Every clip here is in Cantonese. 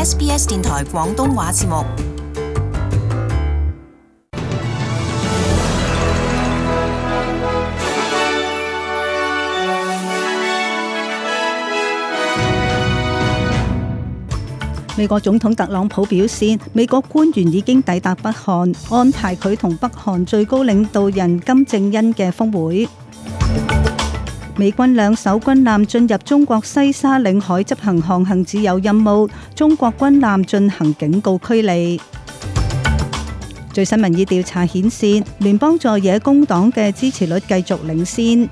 SBS 電台廣東話節目。美國總統特朗普表示，美國官員已經抵達北韓，安排佢同北韓最高領導人金正恩嘅峰會。美軍兩艘軍艦進入中國西沙領海執行航行自由任務，中國軍艦進行警告驅離。最新民意調查顯示，聯邦在野工黨嘅支持率繼續領先。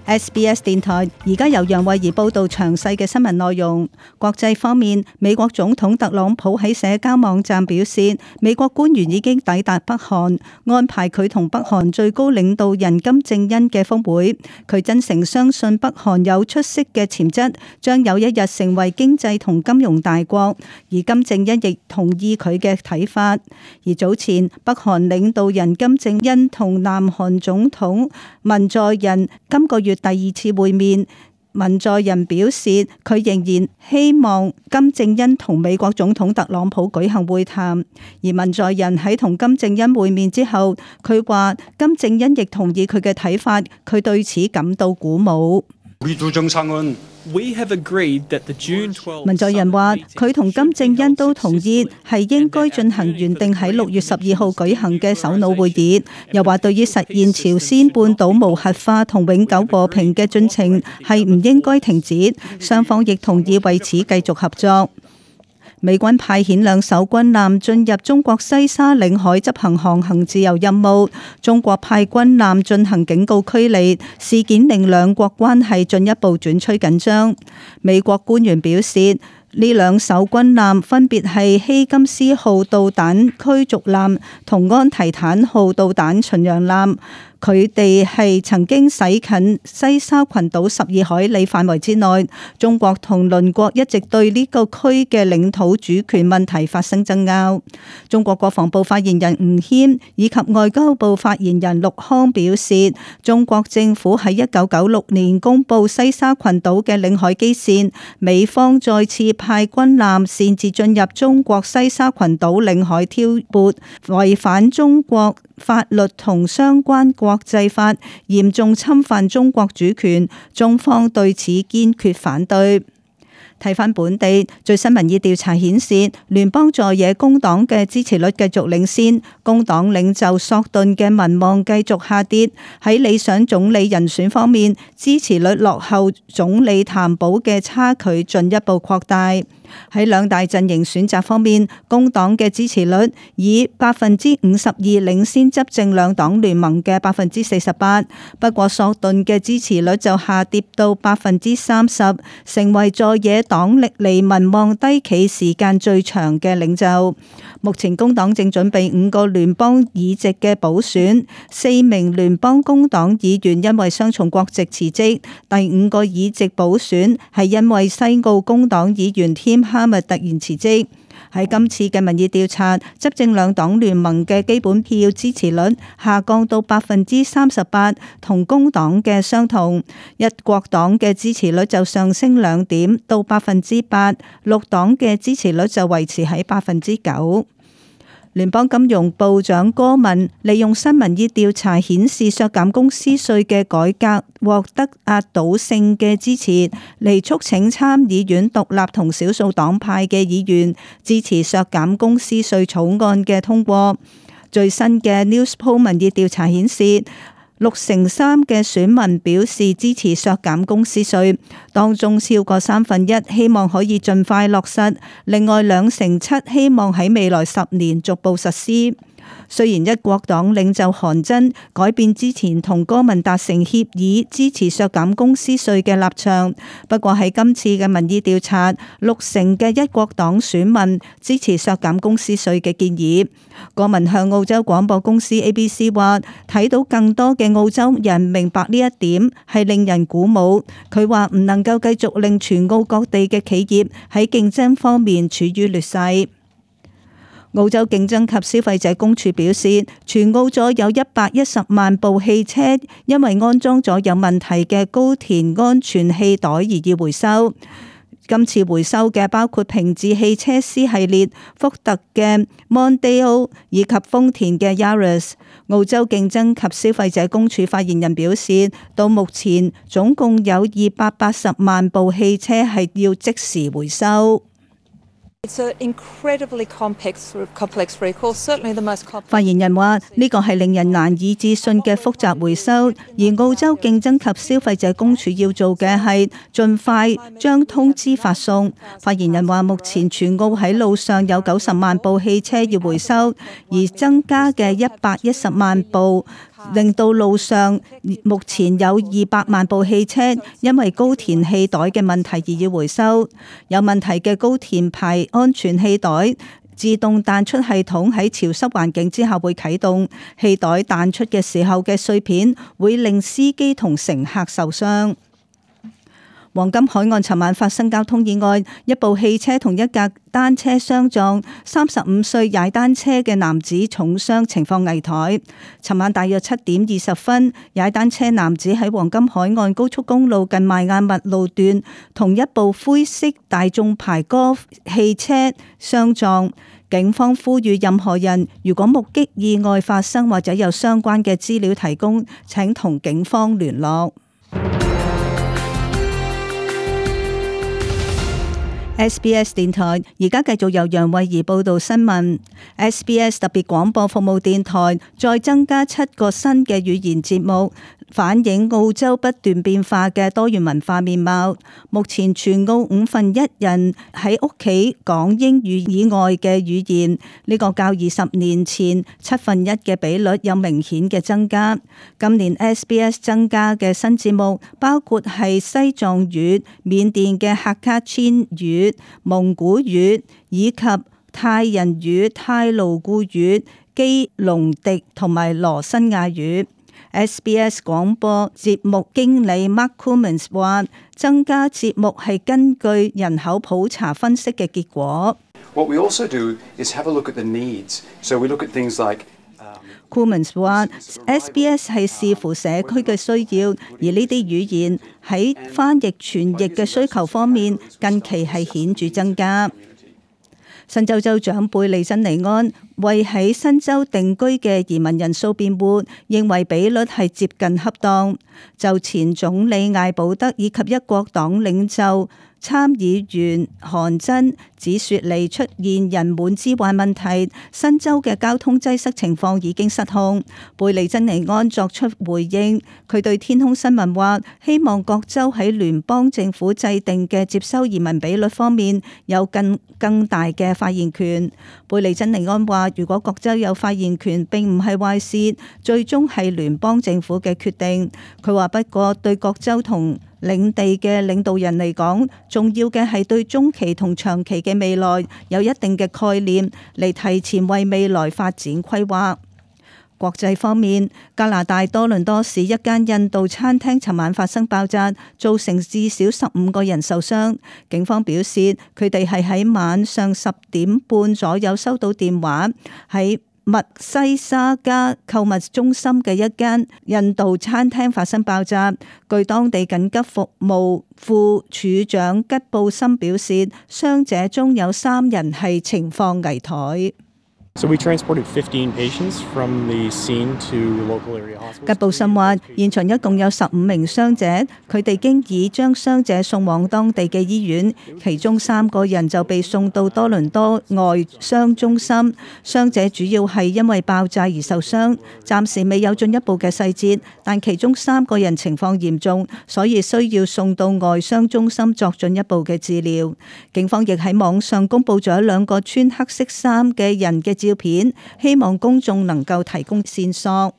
SBS 電台而家由楊慧儀報道詳細嘅新聞內容。國際方面，美國總統特朗普喺社交網站表示，美國官員已經抵達北韓，安排佢同北韓最高領導人金正恩嘅峰會。佢真誠相信北韓有出色嘅潛質，將有一日成為經濟同金融大國，而金正恩亦同意佢嘅睇法。而早前，北韓領導人金正恩同南韓總統文在寅今個月第二次會面，文在寅表示佢仍然希望金正恩同美國總統特朗普舉行會談。而文在寅喺同金正恩會面之後，佢話金正恩亦同意佢嘅睇法，佢對此感到鼓舞。文在寅話佢同金正恩都同意係應該進行原定喺6月12號舉行嘅首腦會議，又話對於實現朝鮮半島無核化同永久和平嘅進程係唔應該停止，雙方亦同意為此繼續合作。美軍派遣兩艘軍艦進入中國西沙領海執行航行自由任務，中國派軍艦進行警告驅離，事件令兩國關係進一步轉趨緊張。美國官員表示，呢兩艘軍艦分別係希金斯號導彈驅逐艦同安提坦號導彈巡洋艦。佢哋係曾經駛近西沙群島12海里範圍之內。中國同鄰國一直對呢個區嘅領土主權問題發生爭拗。中國國防部發言人吳謙以及外交部發言人陸康表示，中國政府喺1996年公布西沙群島嘅領海基線，美方再次派軍艦擅自進入中國西沙群島領海挑撥，違反中國法律同相關國際法，嚴重侵犯中國主權，中方對此堅決反對。睇返本地最新民意調查顯示，聯邦在野工黨嘅支持率繼續領先，工黨領袖索頓嘅民望繼續下跌。喺理想總理人選方面，支持率落後總理譚寶嘅差距進一步擴大。喺兩大陣營選擇方面，工黨嘅支持率以52%領先執政兩黨聯盟嘅48%，不過索頓嘅支持率就下跌到30%，成為在野黨歷嚟民望低企時間最長嘅領袖。目前工黨正準備5個聯邦議席嘅補選，4名聯邦工黨議員因為雙重國籍辭職，第5個議席補選係因為西澳工黨議員添哈密突然辭職。喺今次嘅民意調查，執政兩黨聯盟嘅基本票支持率下降到38%，同工黨嘅相同。一國黨嘅支持率就上升2點到8%，綠黨嘅支持率就維持喺9%。聯邦金融部長戈文利用新民意調查顯示削減公司稅嘅改革獲得壓倒性嘅支持，嚟促請參議院獨立同少數黨派嘅議員支持削減公司稅草案嘅通過。最新嘅 Newspoll 民意調查顯示，63%嘅選民表示支持削減公司稅，當中超過1/3希望可以盡快落實，另外2成7希望喺未來10年逐步實施。雖然一國黨領袖韓真改變之前同戈文達成協議支持削減公司稅嘅立場，不過喺今次嘅民意調查，60%嘅一國黨選民支持削減公司稅嘅建議。戈文向澳洲廣播公司 ABC 話，睇到更多嘅澳洲人明白呢一點係令人鼓舞。佢話唔能夠繼續令全澳各地嘅企業喺競爭方面處於劣勢。澳洲競爭及消費者公署表示，全澳咗有110萬部汽車因為安裝咗有問題嘅高田安全氣袋而要回收。今次回收嘅包括平治汽車 C 系列、福特嘅 Mondeo 以及豐田嘅 Yaris。澳洲競爭及消費者公署發言人表示，到目前總共有280萬部汽車係要即時回收。發言人話：呢個係令人難以置信嘅複雜回收，而澳洲競爭及消費者公署要做嘅係盡快將通知發送。發言人話：目前全澳喺路上有90萬部汽車要回收，而增加嘅110萬部令到路上目前有200萬部汽車因為高填氣袋嘅問題而要回收。有問題嘅高填排安全氣袋自動彈出系統喺潮濕環境之下會啟動，氣袋彈出嘅時候嘅碎片會令司機同乘客受傷。黃金海岸尋晚發生交通意外，一部汽車同一架單車相撞，35歲踩單車嘅男子重傷，情況危殆。尋晚大約7點20分，踩單車男子喺黃金海岸高速公路近邁亞密路段同一部灰色大眾牌golf汽車相撞。警方呼籲任何人如果目擊意外發生或者有相關嘅資料提供，請同警方聯絡。SBS 電台而家繼續由楊慧儀報道新聞。SBS 特別廣播服務電台再增加7個新嘅語言節目，反映澳洲不斷變化嘅多元文化面貌。目前全澳1/5人喺屋企講英語以外嘅語言，呢個較20年前1/7嘅比率有明顯嘅增加。今年 SBS 增加嘅新節目包括係西藏語、緬甸嘅客家暹語、蒙古語以及泰人語、泰盧固語、基隆迪同埋羅新亞語。SBS 廣播節目經理 Mark Cummins 話：增加節目係根據人口普查分析嘅結果。What we also do is have a look at the needs. So we look at things like Cummins 話 SBS 係視乎社區嘅需要，而呢啲語言喺翻譯傳譯嘅需求方面近期係顯著增加。新州州長貝利珍尼安為喺新州定居嘅移民人數辯護，認為比率係接近恰當。就前總理艾保德以及一國黨領袖參議員韓真指雪梨出現人滿之患問題，新州嘅交通擠塞情況已經失控。貝利珍尼安作出回應，佢對天空新聞話：希望各州喺聯邦政府制定嘅接收移民比率方面有更大嘅發言權。貝利珍尼安話：如果各州有發言權並唔係壞事，最終係聯邦政府嘅決定。佢話不過對各州同領地嘅領導人嚟講，重要嘅係對中期同長期嘅未來有一定嘅概念，嚟提前為未來發展規劃。國際方面，加拿大多倫多市一間印度餐廳尋晚發生爆炸，造成至少15個人受傷。警方表示，佢哋係喺晚上10點半左右收到電話，喺密西沙加購物中心嘅一間印度餐廳發生爆炸。據當地緊急服務副處長吉布森表示，傷者中有3人係情況危殆。So we transported 15 patients from the scene to local area hospitals. 吉布森話：現場一共有15名傷者，佢哋經已將傷者送往當地嘅醫院，其中3個人就被送到多倫多外傷中心。傷者主要係因為爆炸而受傷，暫時未有進一步嘅細節，但其中3個人情況嚴重，所以需要送到外傷中心作進一步嘅治療。警方亦喺網上公佈咗2個穿黑色衫嘅人嘅照片，希望公眾能夠提供線索。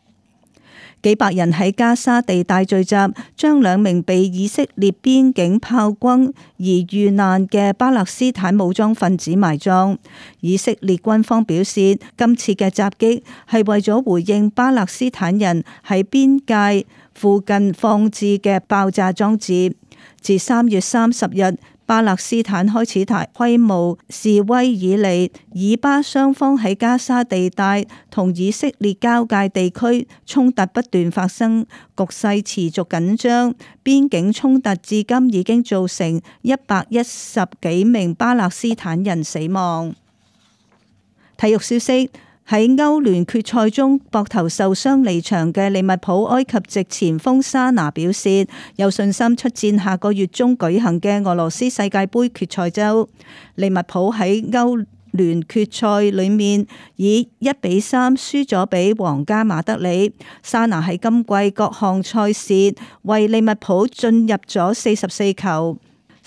幾百人喺加沙地帶聚集，將2名被以色列邊境炮轟而遇難嘅巴勒斯坦武裝分子埋葬。以色列軍方表示，今次嘅襲擊係為咗回應巴勒斯坦人喺邊界附近放置嘅爆炸裝置。自3月30日巴勒斯坦開始大規模示威以嚟，以巴雙方喺加沙地帶同以色列交界地區衝突不斷發生，局勢持續緊張。邊境衝突至今已經造成110幾名巴勒斯坦人死亡。體育消息。喺歐聯決賽中膊頭受傷離場嘅利物浦埃及籍前鋒沙拿表示有信心出戰下個月中舉行嘅俄羅斯世界盃決賽周。利物浦喺歐聯決賽裏面以1-3輸咗俾皇家馬德里。沙拿喺今季各項賽事為利物浦進入咗44球。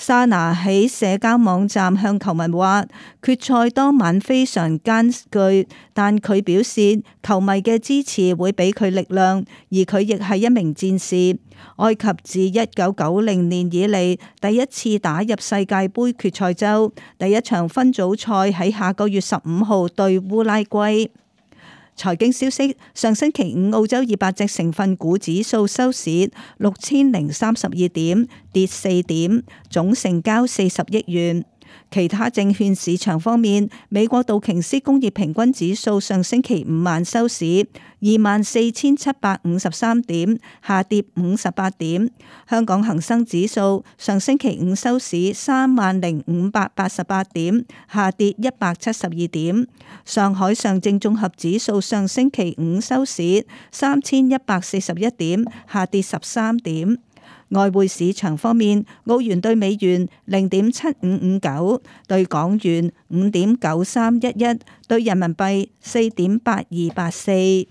沙拿喺社交網站向球迷話，決賽當晚非常艱巨，但佢表示球迷嘅支持會俾佢力量，而佢亦係一名戰士。埃及自1990年以嚟第一次打入世界盃決賽周，第一場分組賽喺下個月15號對烏拉圭。財經消息，上星期五澳洲200隻成分股指數收市6032點，跌4點，總成交40億元。其他證券市場方面，美國道瓊斯工業平均指數上星期五晚收市24,753點，下跌58點。香港恒生指數上星期五收市30,588點，下跌172點。上海上證綜合指數上星期五收市3141點，下跌13點。外匯市場方面，澳元對美元0.7559，對港元5.9311，對人民幣4.8284。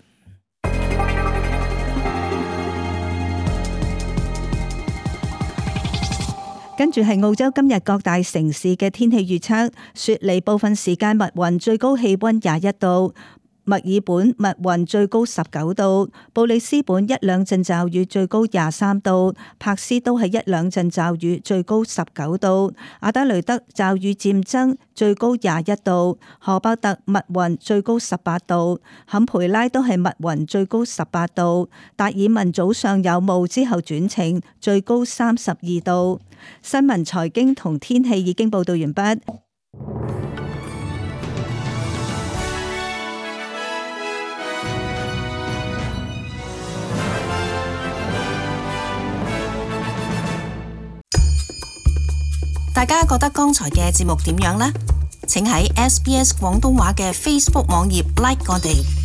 跟住係澳洲今日各大城市嘅天氣預測：雪梨部分時間密雲，最高氣溫21度。墨爾本密雲，最高19度；布里斯本一兩陣驟雨，最高23度；柏斯都係一兩陣驟雨，最高19度；阿德雷德驟雨漸增，最高21度；荷伯特密雲，最高18度；坎培拉都係密雲，最高18度；達爾文早上有霧之後轉晴，最高32度。新聞、財經同天氣已經報道完畢。大家覺得剛才嘅節目點樣呢？請喺SBS 廣東話嘅 Facebook 網頁 like 我哋。